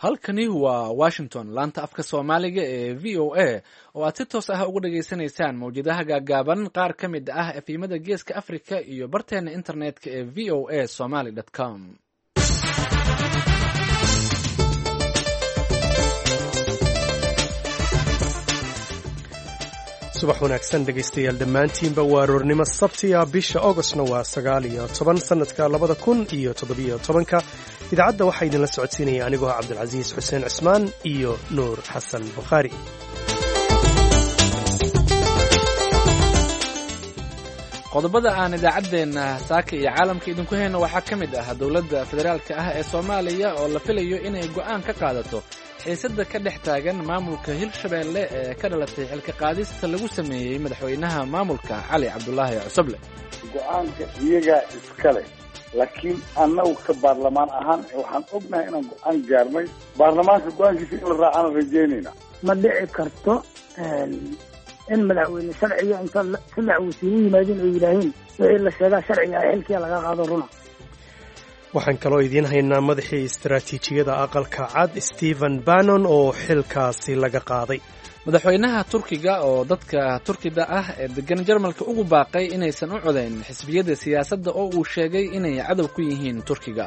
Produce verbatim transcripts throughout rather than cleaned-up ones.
Halkani waa Washington, laanta afka Soomaaliga ee V O A, oo aad si toos ah uga dhageysanaysaan mawjadaha gaagaaban, qaar ka mid ah efemyada Geeska Africa iyo barteena internetka ee V O A Somaly com. Subax wanaagsan, dhegaystayaal dhammaantiinba. Waa aroornimo Sabtiya, bisha Ogostna waa sagaal iyo toban sanadka labada kun iyo toddobiyo tobanka. Idaacadda waxaa idinla socodsiinaya anigoo ah Cabdilcasiis Xuseen Cismaan iyo Nuur Xasan Bukhaari. Qodobada aan idaacaddeenna saaka iyo caalamka idinku hayno waxaa ka mid ah dowladda federaalka ah ee Soomaaliya oo la filayo inay go'aan ka qaadato xiisadda ka dhex taagan maamulka Hirshabeelle ee ka dhalatay xilka qaadista lagu sameeyey madaxweynaha maamulka, Cali Cabdulaahi Cusuble. Go-aanka iyagaa iskale, laakiin annagu ka baarlamaan ahaan waxaan ognahay inaan go-aan gaarnay. Baarlamaanka go-aankiisa in la raacaan rajeynayna. Ma dhici karto in madaxweyne sharciga inta saddex wasiir u yimaadeen oo yidhaahiin wixii la sheegaa sharciga ah, xilkiya laga qaado runa. Waxaan kaloo idiin haynaa madaxii istaraatiijiyada Aqalka Cad, Stephen Bannon, oo xilkaasi laga qaaday. Madaxweynaha Turkiga oo dadka Turkida ah ee degan Jarmalka ugu baaqay inaysan u codayn xisbiyada siyaasadda oo uu sheegay inay cadow ku yihiin Turkiga.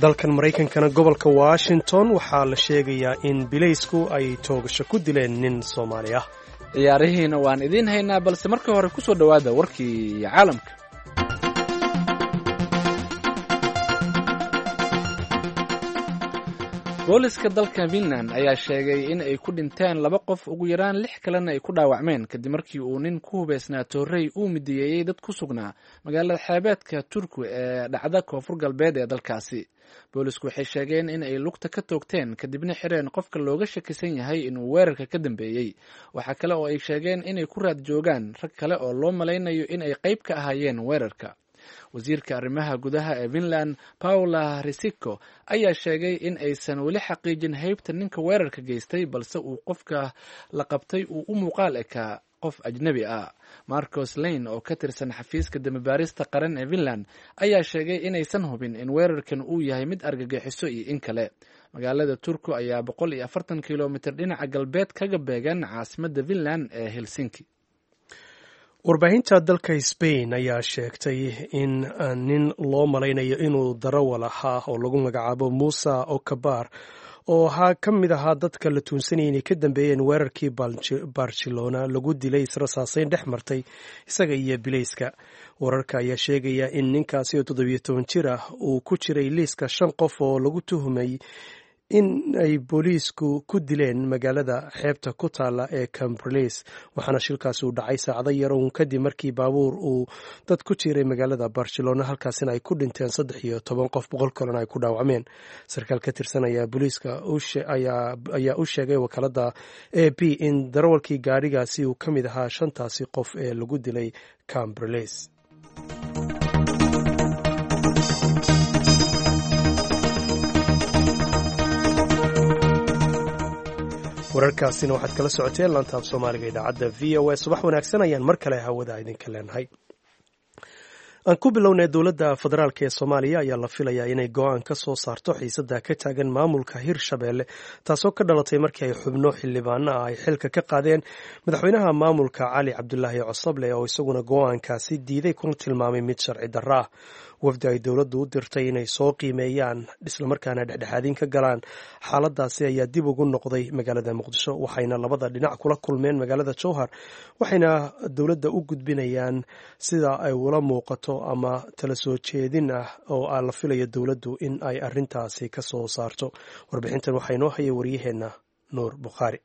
Dalkan Maraykankana, gobolka Washington, waxaa la sheegayaa in bilaysku ay toogasho ku dileen nin Soomaali ah. Ciyaarihiina waan idiin haynaa, balse marka hore kusoo dhowaada warkii caalamka. Booliska dalka Finland ayaa sheegay in ay ku dhinteen laba qof, ugu yaraan lix kalena ay ku dhaawacmeen, kadib markii uu nin ku hubeysnaa toorey uu midiyeeyey dad ku sugnaa magaalada xeebeedka Turku ee dhacda koonfur galbeed ee dalkaasi. Boolisku waxay sheegeen in ay lugta ka toogteen, kadibna xireen qofka looga shakisan yahay inuu weerarka ka dambeeyey. Waxaa kale oo ay sheegeen inay ku raad joogaan rag kale oo loo malaynayo in ay qayb ka ahaayeen weerarka. Wasiirka arrimaha gudaha ee Finland, Paula Risiko, ayaa sheegay in aysan weli xaqiijin heybta ninka weerarka geystay, balse uu qofka la qabtay uu u muuqaal ekaa qof ajnebi ah. Marcos Lane oo ka tirsan xafiiska dambibaarista qaran ee Finland ayaa sheegay inaysan hubin in weerarkan uu yahay mid argagixiso iyo in kale. Magaalada Turku ayaa boqol iyo afartan kilomitir dhinaca galbeed kaga beegan caasimadda Finland ee Helsinki. Warbaahinta dalka Spain ayaa sheegtay in nin loo malaynayo inuu darawal ahaa oo lagu magacaabo Musa Okabar, oo ahaa ka mid ahaa dadka la tuunsanayay inay ka dambeeyeen weerarkii Barcelona, lagu dilay israsaaseyn dhex martay isaga iyo bilayska. Wararka ayaa sheegaya in ninkaasi oo toddobiyo toban jir ah uu ku jiray liiska shan qof oo lagu tuhumay in ay booliisku ku dileen magaalada xeebta ku taala ee Cambriles, waxaana shilkaasi uu dhacay saacado yar uun kadib markii baabuur uu dad ku jiray magaalada Barcelona, halkaasina ay ku dhinteen saddex iyo toban qof, boqol kalena ay ku dhaawacmeen. Sarkaal ka tirsan ayaa booliiska ayaa u sheegay wakaalada A P in darawalkii gaadhigaasi uu ka mid ahaa shantaasi qof ee lagu dilay Cambriles. Wararkaasina waxaad kala socoteen laantaaf Soomaaliga idaacadda V O A. Subax wanaagsan ayaan mar kale hawada idinka leenahay. Aan ku bilownay, dowladda federaalk ee Soomaaliya ayaa la filayaa inay go-aan ka soo saarto xiisadda ka taagan maamulka Hirshabeelle, taasoo ka dhalatay markii ay xubno xildhibaano ah ay xilka ka qaadeen madaxweynaha maamulka, Cali Cabdulaahi Cosoble, oo isaguna go-aankaasi diiday kuna tilmaamay mid sharci darro ah. Wafdi ay dowladdu u dirtay inay soo qiimeeyaan islamarkaana dhexdhexaadin ka galaan xaaladaasi ayaa dib ugu noqday magaalada Muqdisho, waxayna labada dhinac kula kulmeen magaalada Jowhar, waxayna dowladda u gudbinayaan sida ay ula muuqato ama tala soo jeedin ah oo la filayo dowladdu in ay arrintaasi ka soo saarto. Warbixintan waxaa inoo haya waryaheenna Nuur Bukhaari.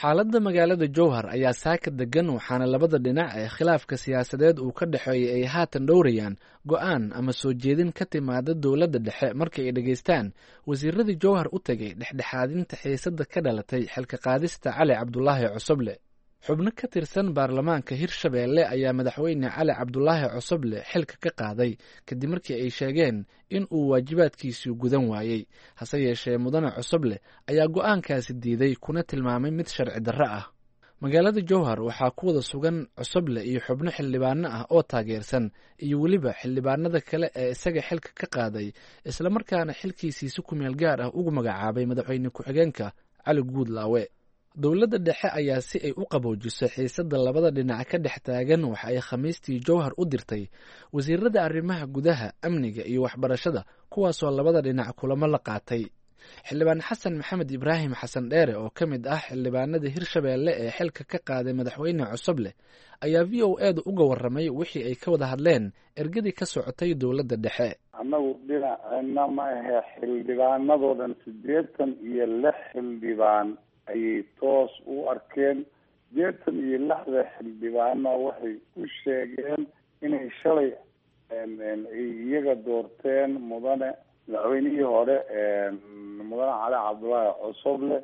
Xaaladda magaalada Jowhar ayaa saaka degan, waxaana labada dhinac ee khilaafka siyaasadeed uu ka dhexeeyay ay haatan dhowrayaan go-aan ama soo jeedin ka timaada dowladda dhexe marka ay dhegaystaan wasiiradii Jowhar u tegay dhexdhexaadinta xiisadda ka dhalatay xilka qaadista Cali Cabdulaahi Cusuble. Xubno ka tirsan baarlamaanka Hirshabeelle ayaa madaxweyne Cali Cabdulaahi Cusuble xilka ka qaaday, kadib markii ay sheegeen in uu waajibaadkiisii gudan waayey. Hase yeeshee, mudane Cusuble ayaa go-aankaasi diiday kuna tilmaamay mid sharci darro ah. Magaalada Jowhar waxaa ku wada sugan Cosoble iyo xubno xildhibaano ah oo taageersan iyo weliba xildhibaanada kale ee isaga xilka ka qaaday, islamarkaana xilkiisii si kumeel gaar ah ugu magacaabay madaxweyne ku-xigeenka Cali Guudlaawe. Dowladda dhexe ayaa si ay u qaboojiso xiisadda labada dhinac ka dhex taagan waxa ay Khamiistii Jowhar u dirtay wasiirada arrimaha gudaha, amniga iyo waxbarashada, kuwaasoo labada dhinac kulamo la qaatay. Xildhibaan Xasan Maxamed Ibraahim Xasan Dheere oo ka mid ah xildhibaanada Hirshabeelle ee xilka ka qaaday madaxweyne Cosoble ayaa V O A da uga warramay wixii ay ka wada hadleen ergadii ka socotay dowladda dhexe. Annagu dhinacena ma ahe, xildhibaanadoo dhan siddeetan iyo lix xildhibaan ayay toos u arkeen. Siddeetan iyo lixda xildhibaana waxay u sheegeen inay shalay ay iyaga doorteen mudane madaxweynihii hore mudane Cali Cabdullaahi Cosoble,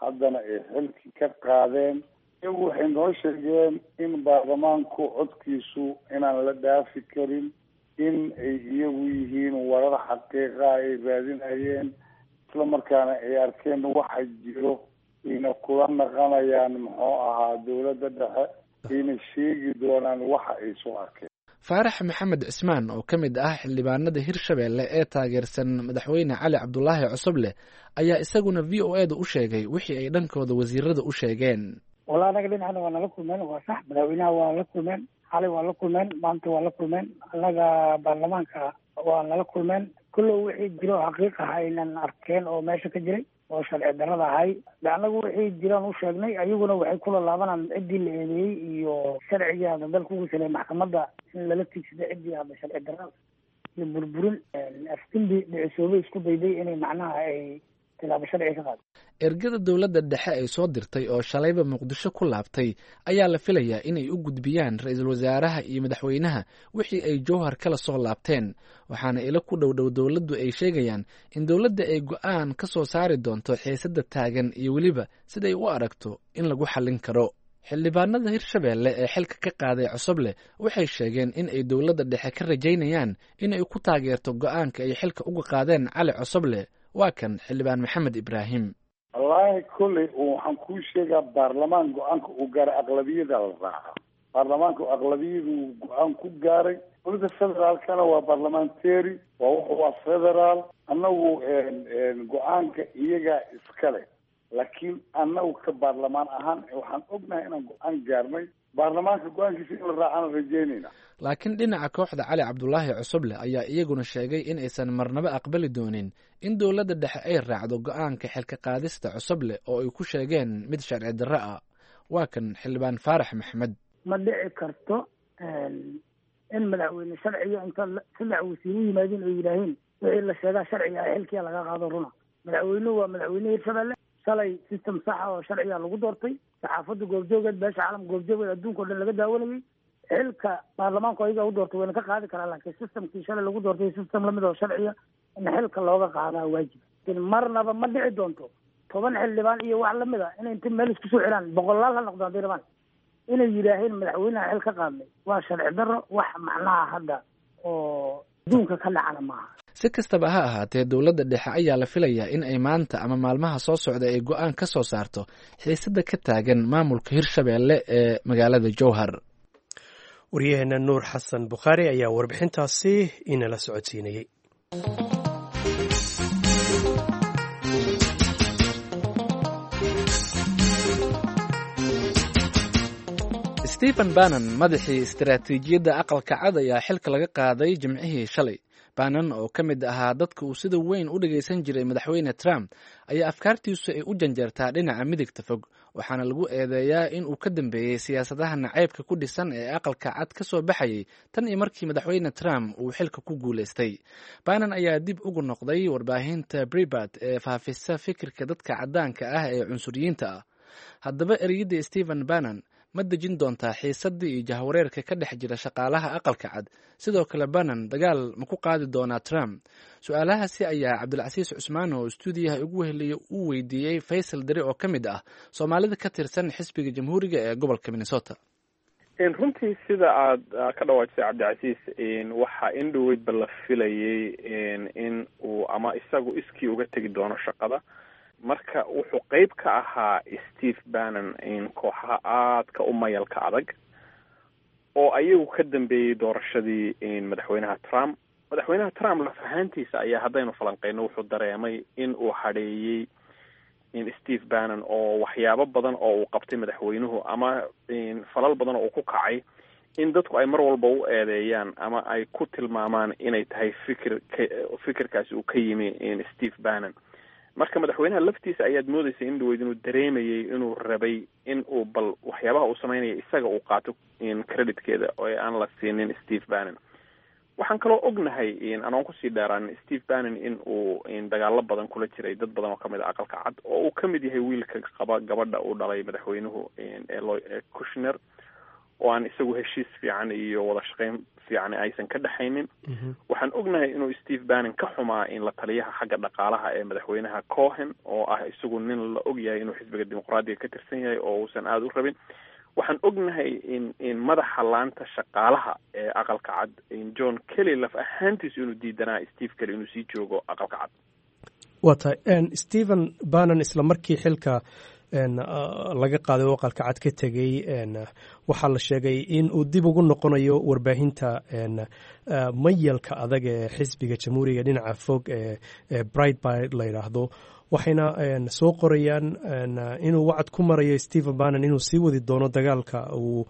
haddana ay xilki ka qaadeen. Iyagu waxay noo sheegeen in baarlamaanku codkiisu inaan la dhaafi karin, in ay iyagu yihiin warar xaqiiqa ay raadinayeen, isla markaana ay arkeen waxa jiro, ayna kula naqanayaan muxuu ahaa dowladda dhexe, ayna sheegi doonaan waxa ay soo arkeen. Faarax Maxamed Cismaan oo ka mid ah xildhibaanada Hirshabeelle ee taageersan madaxweyne Cali Cabdulaahi Cosoble ayaa isaguna V O A da u sheegay wixii ay dhankooda wasiirada u sheegeen. Walla anaga dhinacna waa nala kulmeen, waa sax. Madaxweynaha waa la kulmeen, xalay waa la kulmeen, maanta waa la kulmeen, annaga baarlamaanka waa nala kulmeen. Kullow wixii jiro xaqiiq ah aynan arkeen oo meesha ka jiray oo sharci darrada ahay, de annagu wixii jiraan u sheegnay, ayaguna waxay kula laabanaan ciddii la eedeeyey iyo sharcigii hadda dalka ugu salay maxkamadda in lala tiigsado ciddii hadda sharci darrada iyo burburin afdimbi dhicisoobay isku dayday inay macnaha ay tilaabo sharci ka qaado. Ergada dowladda dhexe ay soo dirtay oo shalayba Muqdisho ku laabtay ayaa la filayaa inay u gudbiyaan ra-iisul wasaaraha iyo madaxweynaha wixii ay Jowhar kala soo laabteen, waxaana ilo ku dhowdhow dowladdu ay sheegayaan in dowladda ay go-aan ka soo saari doonto xiisadda taagan iyo weliba siday u aragto in lagu xallin karo. Xildhibaanada Hirshabeelle ee xilka ka qaaday Cosoble waxay sheegeen in ay dowladda dhexe ka rajaynayaan in ay ku taageerto go-aanka ay xilka uga qaadeen Cali Cosoble. Waa kan xildhibaan Maxamed Ibraahim. Wallaahi kolley waxaan kuu sheegaa, baarlamaan go-aanka uu gaaray aqlabiyada la raaca. Baarlamaanka aqlabiyadu go-aan ku gaaray. Dowladda federaalkana waa baarlamentary, waa wuxu waa federaal. Annagu go-aanka iyagaa iskale, laakiin annagu ka baarlamaan ahaan waxaan ognahay inaan go-aan gaarnay. Baarlamaanka go-aankiisa in la raacana rajeynayna. Laakiin dhinaca kooxda Cali Cabdulaahi Cosoble ayaa iyaguna sheegay in aysan marnaba aqbali doonin in dowladda dhexe ay raacdo go-aanka xilka qaadista Cosoble oo ay ku sheegeen mid sharci darro ah. Waa kan xildhibaan Faarax Maxamed. Ma dhici karto in madaxweyne sharciga inta saddex wasiir u yimaadeen ay yidhaaheen wixii la sheegaa sharciga ah xilkiya laga qaado runa. Madaxweynuhu waa madaxweyne Hirshabeelle, shalay system saxa oo sharciga lagu doortay, saxaafadda goobjoogeed, beesha caalamka goobjoogeed, adduunka o dhan laga daawanayay. Xilka baarlamaanku ayaga u doortay wayna ka qaadi karaa, laakiin systemkii shalay lagu doortay system lamid oo sharciga in xilka looga qaadaa waajib. Marnaba ma dhici doonto toban xildhibaan iyo wax lamid a inay inta meel isku soo xiraan, boqolaal ha noqdo hadday rabaan, inay yidhaaheen madaxweynaha xil ka qaadnay waa sharci darro, wax macnaha hadda oo adduunka ka dhacana maaha. Si kastaba ha ahaatee, dowladda dhexe ayaa la filayaa in ay maanta ama maalmaha soo socda ay go-aan ka soo saarto xiisadda ka taagan maamulka Hirshabeelle ee magaalada Jowhar. Waryaheena Nuur Xasan Bukhaari ayaa warbixintaasi inala socodsiinayey. Stephen Bannon, madaxii istaraatiijiyadda Aqalka Cad, ayaa xilka laga qaaday Jimcihii shalay. Bannon oo ka mid ahaa dadka uu sida weyn u dhagaysan jiray madaxweyne Trump ayaa afkaartiisu ay u janjeertaa dhinaca midigta fog, waxaana lagu eedeeyaa in uu ka dambeeyey siyaasadaha nacaybka ku dhisan ee Aqalka Cad ka soo baxayay tan iyo markii madaxweyne Trump uu xilka ku guulaystay. Bannon ayaa dib ugu noqday warbaahinta Breitbart ee faafisa fikirka dadka caddaanka ah ee cunsuriyiinta ah. Haddaba ereyadii Stephen Bannon ma dejin doontaa xiisaddii iyo jahwareerka ka dhex jira shaqaalaha Aqalka Cad? Sidoo kale Bannon dagaal ma ku qaadi doonaa Trump? Su-aalahaasi ayaa Cabdilcasiis Cusmaan oo istuudiyaha ugu weheliya uu weydiiyey Faysal Deri oo ka mid ah Soomaalida ka tirsan xisbiga Jamhuuriga ee gobolka Minnesota. Runtii sida aad ka dhawaajisay, Cabdicasiis, waxaa in dhoweydba la filayay in uu ama isagu iskii uga tegi doono shaqada. Marka wuxuu qeyb ka ahaa Steve Bannon kooxaha aadka u mayalka adag oo ayagu ka dambeeyey doorashadii madaxweynaha Trump. Madaxweynaha Trump laf ahaantiisa ayaa, haddaynu falanqeyno, wuxuu dareemay in uu hadheeyey Steve Bannon oo waxyaabo badan oo uu qabtay madaxweynuhu ama falal badan oo uu ku kacay in dadku ay mar walba u eedeeyaan ama ay ku tilmaamaan inay tahay fikir fikirkaasi uu ka yimi Steve Bannon. Marka madaxweynaha laftiisa ayaad moodeysa in dhaweyd inuu dareemayay inuu rabay in uu bal waxyaabaha uu sameynaya isaga uu qaato creditkeeda oo aan la siinin Steve Bannon. Waxaan kaloo ognahay, anoon kusii dheeraan, Steve Bannon in uu dagaalo badan kula jiray dad badan oo kamid a Aqalka Cad, oo uu kamid yahay wiilka qaba gabadha uu dhalay madaxweynuhu ee Kushner, oo aan isagu heshiis fiican iyo wada shaqeyn fiican aysan ka dhexaynin. Waxaan ognahay inuu Steve Bannon ka xumaa in la taliyaha xagga dhaqaalaha ee madaxweynaha Cohen, oo ah isagu nin la og yahay inuu xisbiga Dimuqraadiga ka tirsan yahay oo uusan aada u rabin. Waxaan ognahay in in madaxa laanta shaqaalaha ee Aqalka Cad, John Kelly, laf ahaantiisu inuu diidanaa Steve Kelly inuu sii joogo Aqalka Cad. Waa tahay. Stephen Bannon isla markii xilka laga qaaday oo Aqalka Cad ka tegey, waxaa la sheegay in uu dib ugu noqonayo warbaahinta mayalka adag ee xisbiga Jamhuuriga dhinaca fog ee Breitbart la yidhaahdo. Waxayna soo qorayaan inuu wacad ku marayo Stephen Bannon inuu sii wadi doono dagaalka uu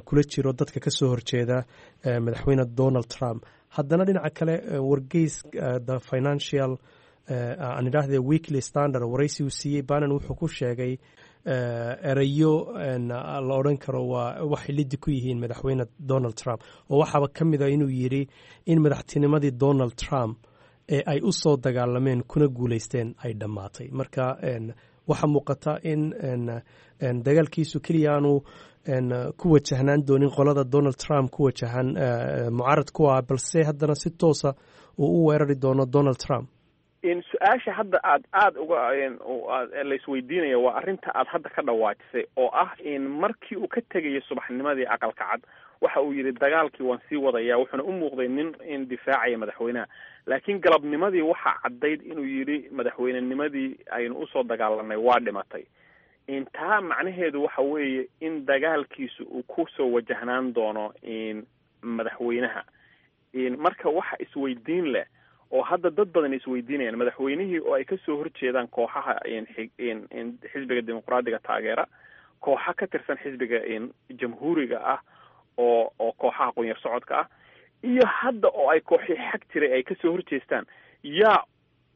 kula jiro dadka ka soo horjeeda madaxweyne Donald Trump. Haddana dhinaca kale, wargeys The Financial, aan idhaahde Weekly Standard, waraysi uu siiyey Bannon wuxuu ku sheegay erayo la odhan karo waa waxay lidi ku yihiin madaxweyne Donald Trump, oo waxaaba ka mid a inuu yidhi in madaxtinimadii Donald Trump ee ay u soo dagaalameen kuna guuleysteen ay dhammaatay. Marka waxaa muuqata in dagaalkiisu keliya aanu ku wajahnaan doonin qolada Donald Trump ku wajahan mucaarad ku ah, balse haddana si toosa uu u weerari doono Donald Trump. Su-aasha hadda aad aada uga laisweydiinaya waa arrinta aad hadda ka dhawaajisay, oo ah in markii uu ka tegayo subaxnimadii Aqalka Cad waxa uu yidhi dagaalkii waan sii wadaya, wuxuuna u muuqday nin in difaacaya madaxweynaha. Laakiin galabnimadii waxaa caddayd inuu yidhi madaxweynenimadii aynu usoo dagaalanay waa dhimatay. Taa macnaheedu waxa weeye in dagaalkiisu uu kusoo wajahnaan doono madaxweynaha. Marka waxa isweydiin leh oo hadda dad badan isweydiinayaan, madaxweynihii oo ay kasoo horjeedaan kooxaha xisbiga Dimuqraadiga taageera, kooxa ka tirsan xisbiga Jamhuuriga ah oo oo kooxaha qunyar socodka ah, iyo hadda oo ay kooxii xag jiray ay kasoo horjeestaan, yaa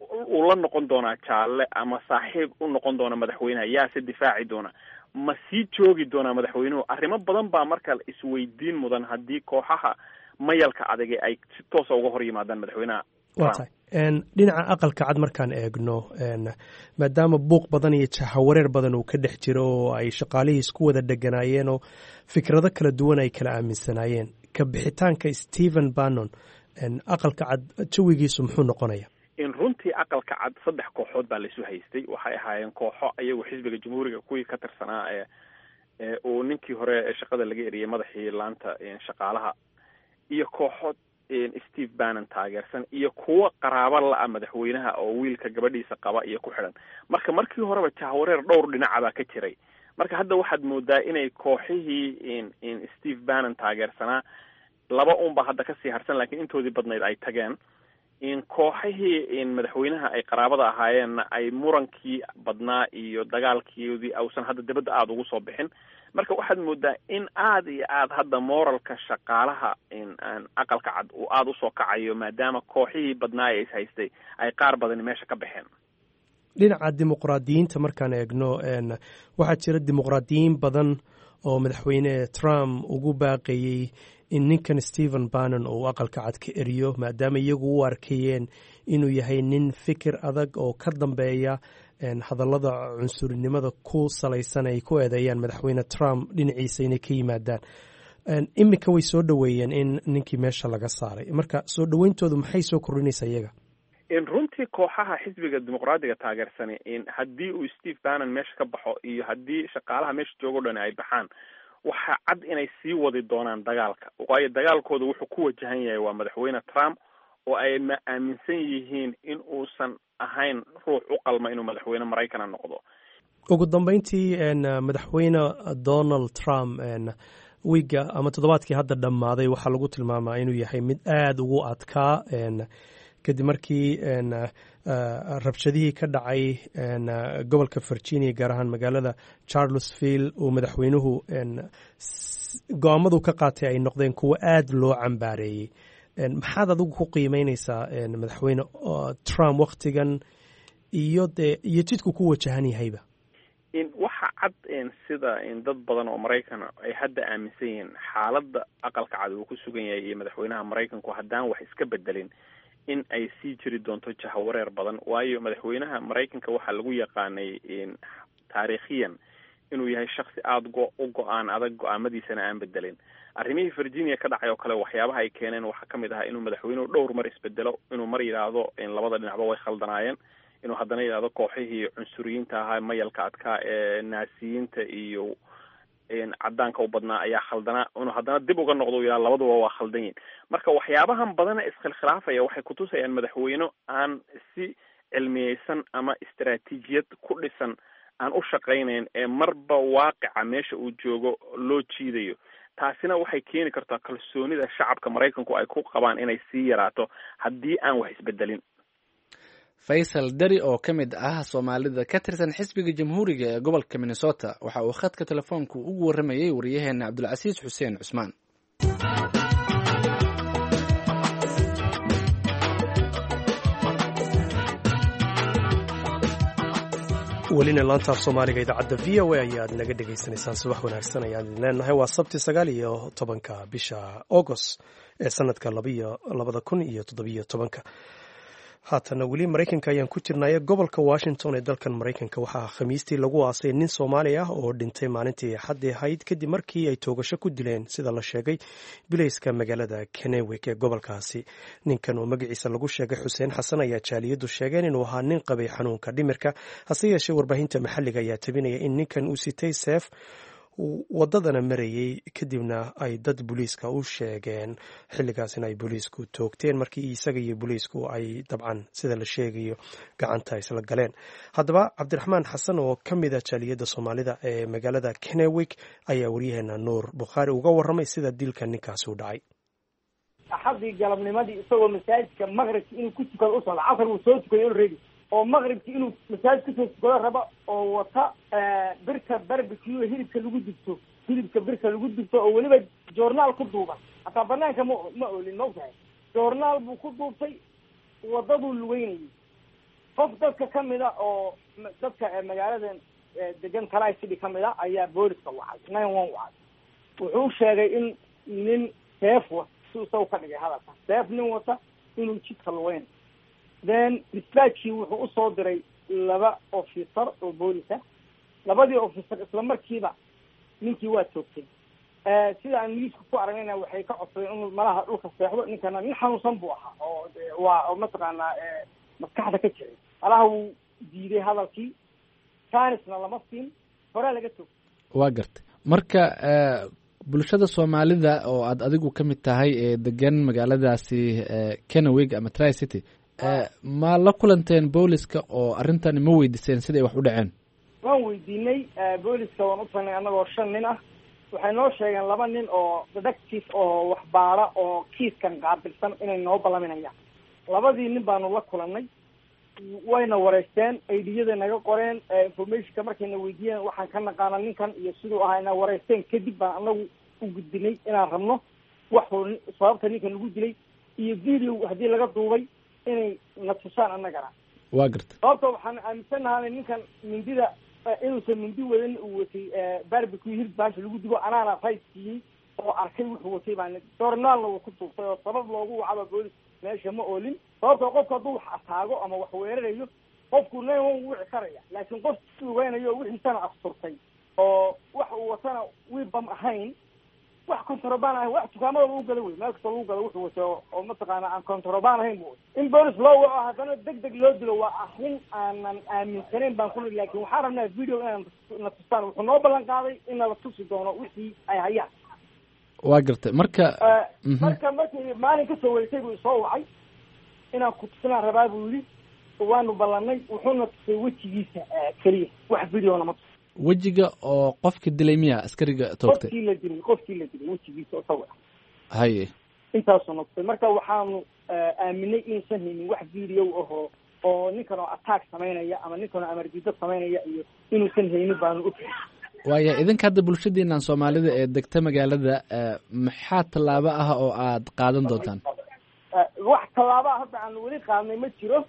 uu la noqon doonaa jaalle ama saaxiib u noqon doona madaxweynaha? Yaa se difaaci doona? Ma sii joogi doonaa madaxweynuhu? Arrimo badan baa marka isweydiin mudan haddii kooxaha mayalka adage ay si toosa uga hor yimaadaan madaxweynaha. Waa tahay. Dhinaca Aqalka Cad markaan eegno, maadaama buuq badan iyo jahawareer badan uu ka dhex jiro oo ay shaqaalihii isku wada dheganaayeen oo fikrado kala duwan ay kala aaminsanaayeen, ka bixitaanka Stephen Bannon Aqalka Cad jawigiisu muxuu noqonaya? In runtii Aqalka Cad saddex kooxood baa laisu haystay. Waxay ahaayeen kooxo ayagu xisbiga Jamhuuriga kuwii ka tirsanaa ee uu ninkii hore ee shaqada laga eriyey madaxii laanta shaqaalaha, iyo kooxood Steve Bannon taageersan, iyo kuwo qaraabo la-a madaxweynaha oo wiilka gabadhiisa qaba iyo ku xidhan. Marka markii horeba jahwareer dhowr dhinaca baa ka jiray. Marka hadda waxaad moodaa inay kooxihii Steve Bannon taageersanaa laba unba hadda kasii harsan, laakiin intoodii badnayd ay tageen. Kooxihii madaxweynaha ay qaraabada ahaayeenna ay murankii badnaa iyo dagaalkoodii ausan hadda dibadda aada ugu soo bixin. Marka waxaad moodaa in aada iyo aada hadda moralka shaqaalaha Aqalka Cad uu aada usoo kacayo, maadaama kooxihii badnaa ee is haystay ay qaar badani meesha ka baxeen. Dhinaca dimuqraadiyiinta markaan eegno, waxaa jira dimuqraadiyiin badan oo madaxweyne Trump ugu baaqayey in ninkan Stephen Bannon uu Aqalka Cad ka eriyo, maadaama iyagu u arkayeen inuu yahay nin fikir adag oo ka dambeeya hadallada cunsurinimada ku salaysan ay ku eedeeyaan madaxweyne Trump dhinaciisa inay ka yimaadaan. Iminka way soo dhoweeyeen in ninkii meesha laga saaray. Marka soo dhoweyntoodu maxay soo kordhinaysaa iyaga? Runtii kooxaha xisbiga Dimuqraadiga taageersani, haddii uu Steve Bannon meesha ka baxo iyo haddii shaqaalaha meesha joogo dhan ay baxaan, waxaa cad inay sii wadi doonaan dagaalka, waayo dagaalkooda wuxuu ku wajahan yahay waa madaxweyne Trump oo ay ma aaminsan yihiin in uusan ahayn ruux u qalma inuu madaxweyne maraykana noqdo. Ugu dambeyntii, madaxweyne Donald Trump wiigga ama toddobaadkii hadda dhammaaday waxaa lagu tilmaamaa inuu yahay mid aada ugu adkaa, kadib markii rabshadihii ka dhacay gobolka Virginia, gaar ahaan magaalada Charlottesville, uu madaxweynuhu go-aamadu ka qaatay ay noqdeen kuwo aada loo cambaareeyey. Maxaad adigu ku qiimeyneysaa madaxweyne Trump waktigan iyo dee iyo jidku ku wajahan yahayba? Waxa cad sida dad badan oo maraykan ay hadda aaminsan yihiin, xaaladda Aqalka Cad uu ku sugan yahay iyo madaxweynaha Maraykanku haddaan wax iska bedelin in ay sii jiri doonto jahawareer badan, waayo madaxweynaha Maraykanka waxaa lagu yaqaanay taariikhiyan inuu yahay shaksi aada go- u go-aan adag, go-aamadiisana aan bedelin. Arrimihii Virginia ka dhacay oo kale waxyaabaha ay keeneen waxaa ka mid ahaa inuu madaxweynuhu dhowr mar isbedelo, inuu mar yidhaahdo labada dhinacba way khaldanaayeen, inuu haddana yidhahdo kooxihii cunsuriyiinta ahaa, mayalka adkaa ee naasiyiinta iyo cadaanka u badnaa ayaa khaldanaa, inuu haddana dib uga noqdo u yidhahdo labaduba waa khaldan yihin. Marka waxyaabahan badana iskhilkhilaafaya waxay kutusayaan madaxweyne aan si cilmiyeysan ama istaraatiijiyad ku dhisan aan u shaqaynayn, ee marba waaqica meesha uu joogo loo jiidayo. Taasina waxay keeni kartaa kalsoonida shacabka Maraykanku ay ku qabaan inay sii yaraato haddii aan wax isbedelin. Faysal Dari oo ka mid ah Soomaalida ka tirsan xisbiga Jamhuuriga ee gobolka Minnesota waxa uu khadka telefoonku ugu warramayey wariyaheena Cabdulcasiis Xuseen Cusmaan. Welina laantaaf Soomaaliga idaacadda V O A ayaad naga dhegaysanaysaan. Subax wanaagsan ayaan idin leenahay. Waa Sabti, sagaal iyo tobanka bisha Agost ee sanadka labaiyo labada kun iyo toddobiyo tobanka. Haatana weli Maraykanka ayaan ku jirnaaye, gobolka Washington ee dalkan Maraykanka waxaa Khamiistii lagu aasay nin Soomaali ah oo dhintay maalintii Axaddii ahayd, kadib markii ay toogasho ku dileen, sida la sheegay, bilayska magaalada Kennewick ee gobolkaasi. Ninkan oo magaciisa lagu sheegay Xuseen Xasan ayaa jaaliyaddu sheegeen inuu ahaa nin qabay xanuunka dhimirka. Hase yeeshee, warbaahinta maxalliga ayaa tabinaya in ninkan uu sitay seef, wadadana marayey, kadibna ay dad booliiska u sheegeen, xilligaasina ay booliisku toogteen markii isaga iyo booliisku ay dabcan, sida la sheegayo, gacanta isla galeen. Haddaba, Cabdiraxmaan Xasan oo ka mid a jaaliyadda Soomaalida ee magaalada Kennewick ayaa waryaheena Nuur Bukhaari uga warramay sida dilka ninkaasi u dhacay. Axadii galabnimadii, isagoo masaajidka maqribki inuu ku tukado u socdo, casar wuu soo tukaday already, oo maqribki inuu masaajid kusoo tukado raba, oo wata birta barbecue, hilibka lagu dubto, hilibka birta lagu dubto, oo weliba joornaal ku duuban, hataa banaanka ma ma oolin, ma ogtahay, joornaal buu ku duubtay, wadaduu lugeynayay. Qof dadka kamid a oo dadka magaaladan degan Tri City kamid a ayaa booliska wacay, nine one wacay. Wuxuu sheegay in nin seef wata, si isagu ka dhigay hadalka, seef nin wata inuu jidka lugeynayo. Then dispatchkii wuxuu usoo diray laba officer oo boolis ah. Labadii officer isla markiiba ninkii waa toogtay. Sida aan newska ku aragnayna, waxay ka codsadeen inuu malaha dhulka seexdo. Ninkana nin xanuunsan buu ahaa oo waa oo mataqaanaa maskaxda ka jiray. Malaha wuu diiday hadalkii, chancena lama siin, horaa laga toogtay. Waa gartay. Marka bulshada Soomaalida oo aad adigu ka mid tahay ee degan magaaladaasi Kennewick ama Tri City, ma la kulanteen booliska oo arrintani ma weydiiseen siday wax u dhaceen? Waan weydiinay booliska, waan u tagnay annagoo shan nin ah. Waxay noo sheegeen laba nin oo detective oo waxbaara oo kiiskan qaabilsan inay noo ballaminayaan. Labadii nin baanu la kulanay, wayna wareysteen, I Diyada naga qoreen, informationka markayna weydiiyeen waxaan ka naqaana ninkan iyo siduu ahaa ina wareysteen. Kadib baan anagu u gudbinay inaan rabno waxuu sababta ninkan lagu dilay iyo video haddii laga duubay inay na tusaan annagana. Waa garta. Sababta waxaan aaminsanahay ninkan mindida inuusan mindi wadan, uu watay barbecue, hilib baasha lagu dubo. Anaana right siiyey oo arkay wuxuu watay baan, joornaalna wuu ku duubtay, oo sabab loogu wacaba boolis meesha ma oolin. Sababtoo qofku hadduu wax ataago ama wax weerarayo, qofku nine one wici karaya, laakiin qof lugeynayo wixiisana asturtay oo wax uu watana wiibam ahayn, wax contraband ahayn, wax dukaamada lagu galo wey, meel kasta lagu galo wuxuu watay oo mataqaana aan contraband ahayn bu in boolis loo waco haddana deg deg loo dilo waa arrin aanan aaminsanayn baan kuli. Laakin waxaan rabnaa video inaan na tustaan. Wuxuu noo ballan qaaday in nala tusi doono wixii ay hayaan. Waa gartay. Marka marka markii maalin kasoo wareegtay buu isoo wacay. Inaan ku tusinaan rabaa buu yidhi. Waanu ballanay, wuxuuna tusay wejigiisa keliya, wax videona ma tus. Wejiga oo qofka dilay miya, askariga toogtay? Qofkii la dilay, qofkii la dilay wejigiisa oo sawir ah. Haye. Intaasuu na tusay. Marka waxaanu aaminay inuusan haynin wax video ahoo oo ninkan oo attack samaynaya ama ninkan oo amardiido samaynaya iyo inuusan haynin baanu og. Waaya, idinka hadda bulshadiinan Soomaalida ee degta magaalada, maxaa tallaabo ah oo aad qaadan doontaan? Wax tallaabaa hadda aanu weli qaadnay ma jiro,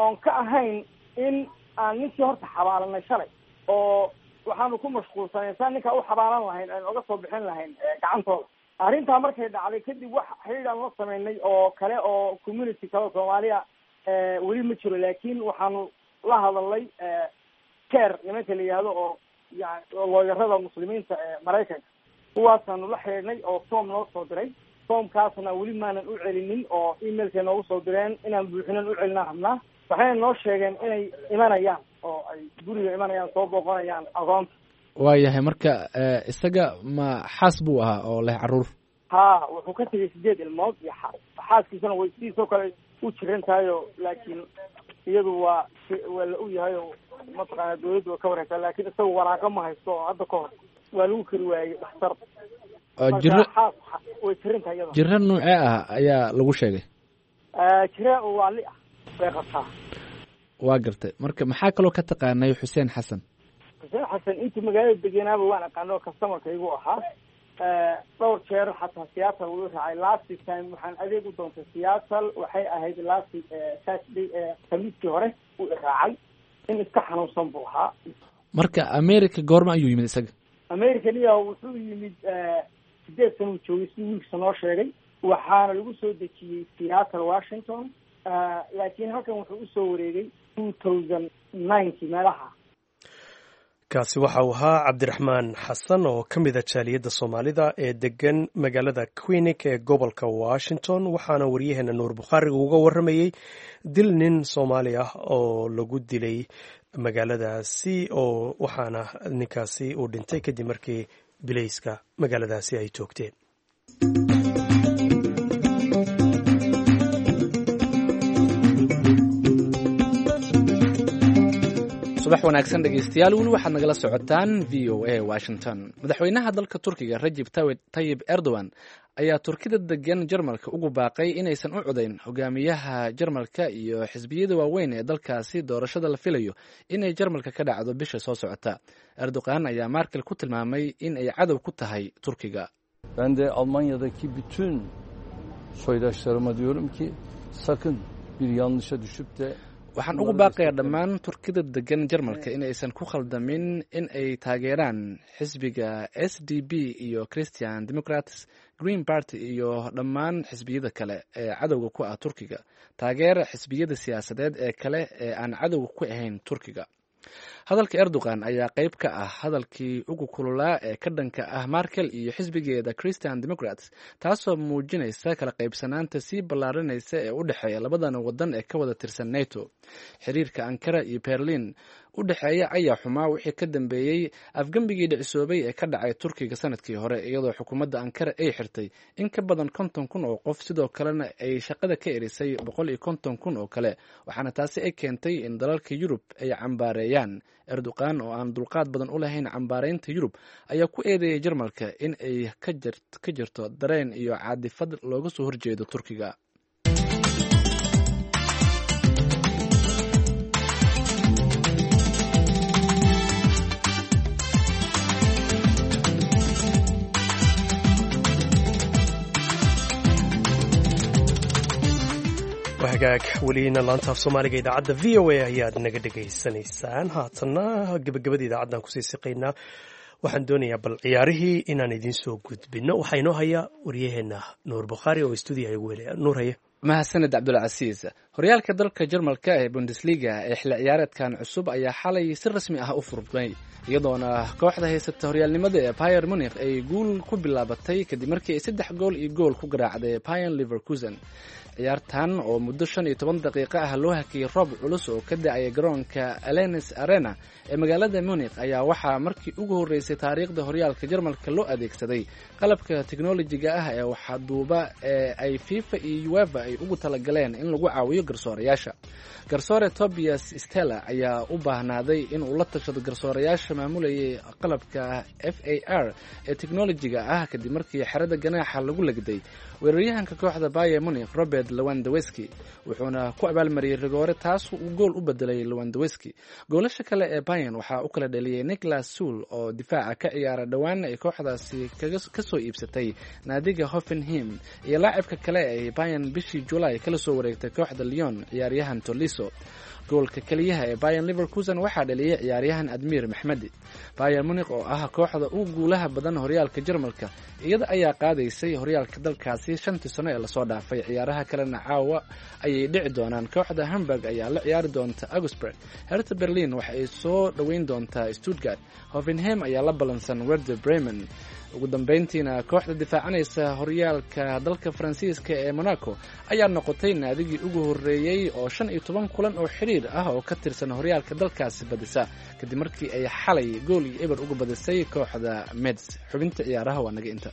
oon ka ahayn in aan ninkii horta xabaalanay shalay, oo waxaanu ku mashquulsanay saan ninkaa u xabaalan lahayn, aan oga soo bixin lahayn gacantooda. Arrintaa markay dhacday kadib, wax xidhiid aan la sameynay oo kale oo community kale Soomaaliya weli ma jiro, laakiin waxaanu la hadalnay CAIR nimanka la yihahdo oo yani looyarada muslimiinta ee Maraykanka. Kuwaasaanu la xidhiidhnay oo form noo soo diray. Formkaasna weli maanan u celinin oo emailkay noogu soo direen inaan buuxinan u celinaan rabnaa. Waxayna noo sheegeen inay imanayaan oo ay guriga imanayaan, soo booqanayaan agoonta. Waayahay, marka isaga ma xaas buu ahaa oo leh carruur? Ha, wuxuu ka tegay sideed ilmood iyo xaas. Xaaskiisana way sidiisoo kale u jiran tahayo, laakiin iyadu waa waa la og yahay oo mataqaana dawladdu waa ka warhaysaa, laakiin isagu waraaqo ma haysto oo hadda ka hor waa lagu kari waayey dhakhtar. Jiro xaas way jiran tahay iyada. Jiro noocee ah ayaa lagu sheegay? Jira oo waali ah bay qabtaa. Waa gartay. Marka maxaa kaloo ka taqaanay Xuseen Xasan? Xuseen Xasan intii magaalada degenaaba waan aqaano oo customerkaygu ahaa. Dhowr jeer xataa Seattle wuu raacay. Last time waxaan adeeg u doontay Seattle, waxay ahayd last Saturday, Khamiistii hore uu iraacay. In iska xanuunsan buu ahaa. Marka America goorma ayuu yimid isaga? America niya wuxuu yimid sideed sana uu joogay, si wiilkiisa noo sheegay. Waxaana lagu soo dejiyey Seattle, Washington, laakiin halkan wuxuu usoo wareegay two thousand ninety meelaha. Kaasi waxa uu ahaa Cabdiraxmaan Xasan oo ka mid a jaaliyadda Soomaalida ee degan magaalada Quinic ee gobolka Washington, waxaana waryaheena Nuur Bukhaariga uga warramayey dil nin Soomaali ah oo lagu dilay magaaladaasi, oo waxaana ninkaasi uu dhintay kadib markii bilayska magaaladaasi ay toogteen. Subax wanaagsan dhegeystayaal, weli waxaad nagala socotaan V O A Washington. Madaxweynaha dalka Turkiga Rajib Tayib Erdogan ayaa Turkida degan Jarmalka ugu baaqay inaysan u codayn hogaamiyaha Jarmalka iyo xisbiyada waaweyn ee dalkaasi doorashada la filayo inay Jarmalka ka dhacdo bisha soo socota. Erdogan ayaa Markel ku tilmaamay in ay cadow ku tahay Turkiga. Ben de Almanya'daki bütün soydaşlarıma diyorum ki sakın bir yanlışa düşüp de Waxaan ugu baaqayaa dhammaan Turkida degan Jarmalka in aysan ku khaldamin in ay taageeraan xisbiga S D B iyo Christian Democrats, Green Party iyo dhammaan xisbiyada kale ee cadowga ku ah Turkiga. Taageera xisbiyada siyaasadeed ee kale ee aan cadowga ku ahayn Turkiga. Hadalka Erdogan ayaa qayb ka ah hadalkii ugu kululaa ee ka dhanka ah Markel iyo xisbigeeda Christian Democrats, taasoo muujinaysa kala qaybsanaanta sii ballaarinaysa ee u dhexeeya labadan wadan ee ka wada tirsan NATO. Xiriirka Ankara iyo Berlin u dhexeeya ayaa xumaa wixii ka dambeeyey afgembigii dhicisoobay ee ka dhacay Turkiga sanadkii hore, iyadoo xukuumadda Ankara ay xirtay in ka badan konton kun oo qof, sidoo kalena ay shaqada ka erisay boqol iyo konton kun oo kale, waxaana taasi ay keentay in dalalka Yurub ay cambaareeyaan. Erdogan oo aan dulqaad badan u lahayn cambaareynta Yurub ayaa ku eedeeyay Jarmalka in ay ka jirto dareen iyo caadifad looga soo horjeedo Turkiga. Hagaag, welina laanta af Soomaaliga idaacadda V O A ayaad naga dhegaysanaysaan. Haatanna gebagabada idaacaddan kusii siqaynaa. Waxaan doonayaa bal ciyaarihii inaan idiin soo gudbinno. Waxaa inoo haya waryaheena Nuur Bukhaari oo stuudiyaha igu helaya. Nuur, haye. Mahadsaned Cabdulcasiis. Horyaalka dalka Jarmalka ee Bundesliga ee xilli ciyaareedkan cusub ayaa xalay si rasmi ah u furmay, iyadoona kooxda haysata horyaalnimada ee Bayern Munich ay guul ku bilaabatay kadib markii ay saddex gool iyo gool ku garaacday Bayern Leverkusen. Ciyaartan oo muddo shan iyo toban daqiiqo ah loo hakiyey roob culus oo ka da-aya garoonka Alenes Arena ee magaalada Munich ayaa waxaa markii ugu horreysay taariikhda horyaalka Jarmalka loo adeegsaday qalabka teknolojiga ah ee waxduuba ee ay FIFA iyo UEFA ay ugu talagaleen in lagu caawiyo garsoorayaasha. Garsoore Tobias Stella ayaa u baahnaaday in uu la tashado garsoorayaasha maamulayay qalabka F A R ee teknolojiga ah kadib markii xerada ganaaxa lagu legday weeraryahanka kooxda Bayern Munich Robert Lewandowski, wuxuuna ku abaalmariyey rigoore taas uu gool u bedelay Lewandowski. Goolasha kale ee Bayern waxaa u kala dhaliyey Niklas Suul oo difaaca ka ciyaara dhowaana ay kooxdaasi kasoo iibsatay naadiga Hoffenheim iyo laacibka kale ay Bayern bishii July kala soo wareegtay kooxda Lyon ciyaaryahan Tolisso. Goolka keliyaha ee Bayern Leverkusen waxaa dhaliyey ciyaaryahan Admir Maxmedi. Bayern Munich oo ah kooxda ugu guulaha badan horyaalka Jarmalka iyada ayaa qaadaysay horyaalka dalkaasi shantii sano ee lasoo dhaafay. Ciyaaraha kalena caawa ayay dhici doonaan. Kooxda Hamburg ayaa la ciyaari doonta Augsburg, Hertha Berlin waxa ay soo dhoweyn doontaa Stuttgart, Hoffenheim ayaa la ballansan Werder Bremen. Ugu dambeyntiina kooxda difaacanaysa horyaalka dalka Faransiiska ee Monaco ayaa noqotay naadigii ugu horreeyey oo shan iyo toban kulan oo xiriir ah oo ka tirsan horyaalka dalkaasi badisa kadib markii ay xalay gool iyo eber uga badisay kooxda Metz. Xubinta ciyaaraha waa naga inta.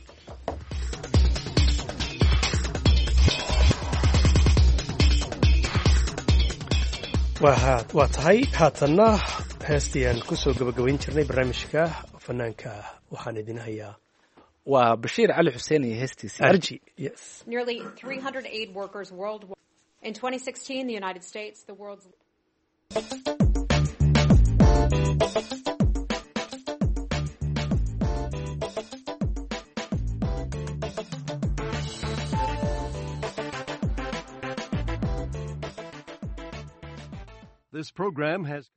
Waa tahay haatanna heestii aan kusoo gabagabayn jirnay barnaamijka fanaanka waxaan idin hayaa waa Bashiir Cali Xuseen iyo heestiisii Arji. Yes. Nearly three hundred aid workers worldwide. In twenty sixteen, the United States, the world's This program has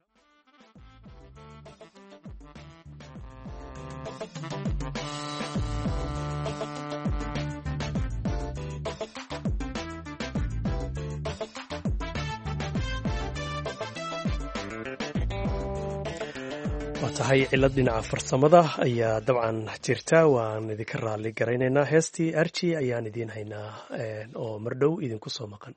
waa tahay cilad dhinaca farsamada ayaa dabcan jirta, waan idinka raali garaynaynaa. Heestii Arji ayaan idiin haynaa oo mardhow idinku soo maqan.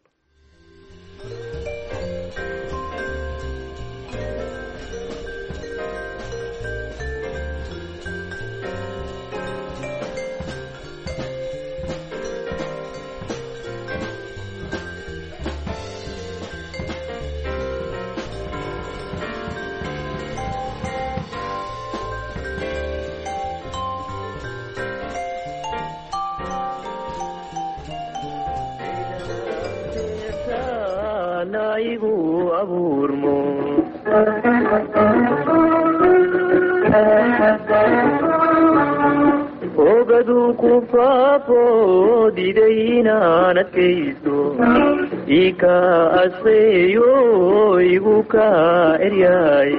Ogadu ku faafo diday inaan adkaysto ika aseeyo igu ka eryaay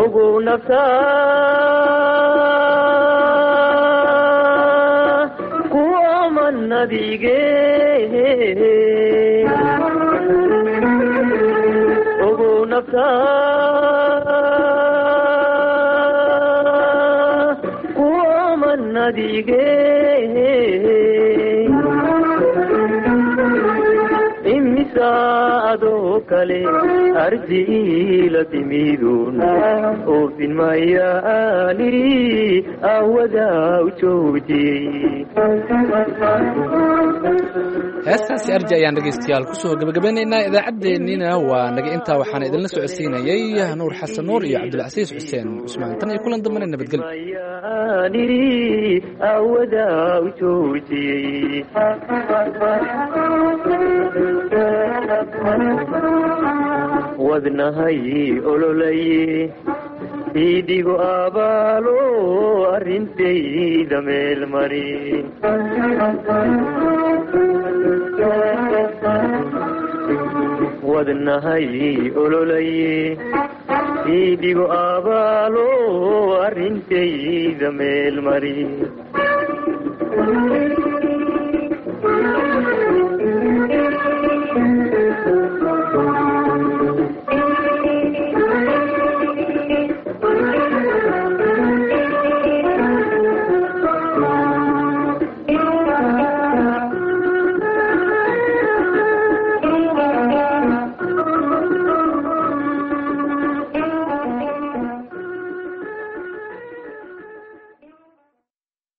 ogow nafta ku aman nadige ogow nafta ku aman nadige imisa adoo kale arji ila timidun oofin maya aaniri awada u joojiyey. Heestaasi Arji ayaan dhegaystayaal kusoo gabagabeynaynaa idaacaddeenniina. Waa naga intaa, waxaana idinla socodsiinayay Nuur Xasan Nuur iyo Cabdilcasiis Xuseen Cusmaan. Tan iyo kulan dambena nabadgelyo. Aaniri awada u joojiyey. Wadnahay ololaye iidhigo abaalo arrintayda meel mari wadnahay ololaye iidhigo abaalo arrintayda meel mari.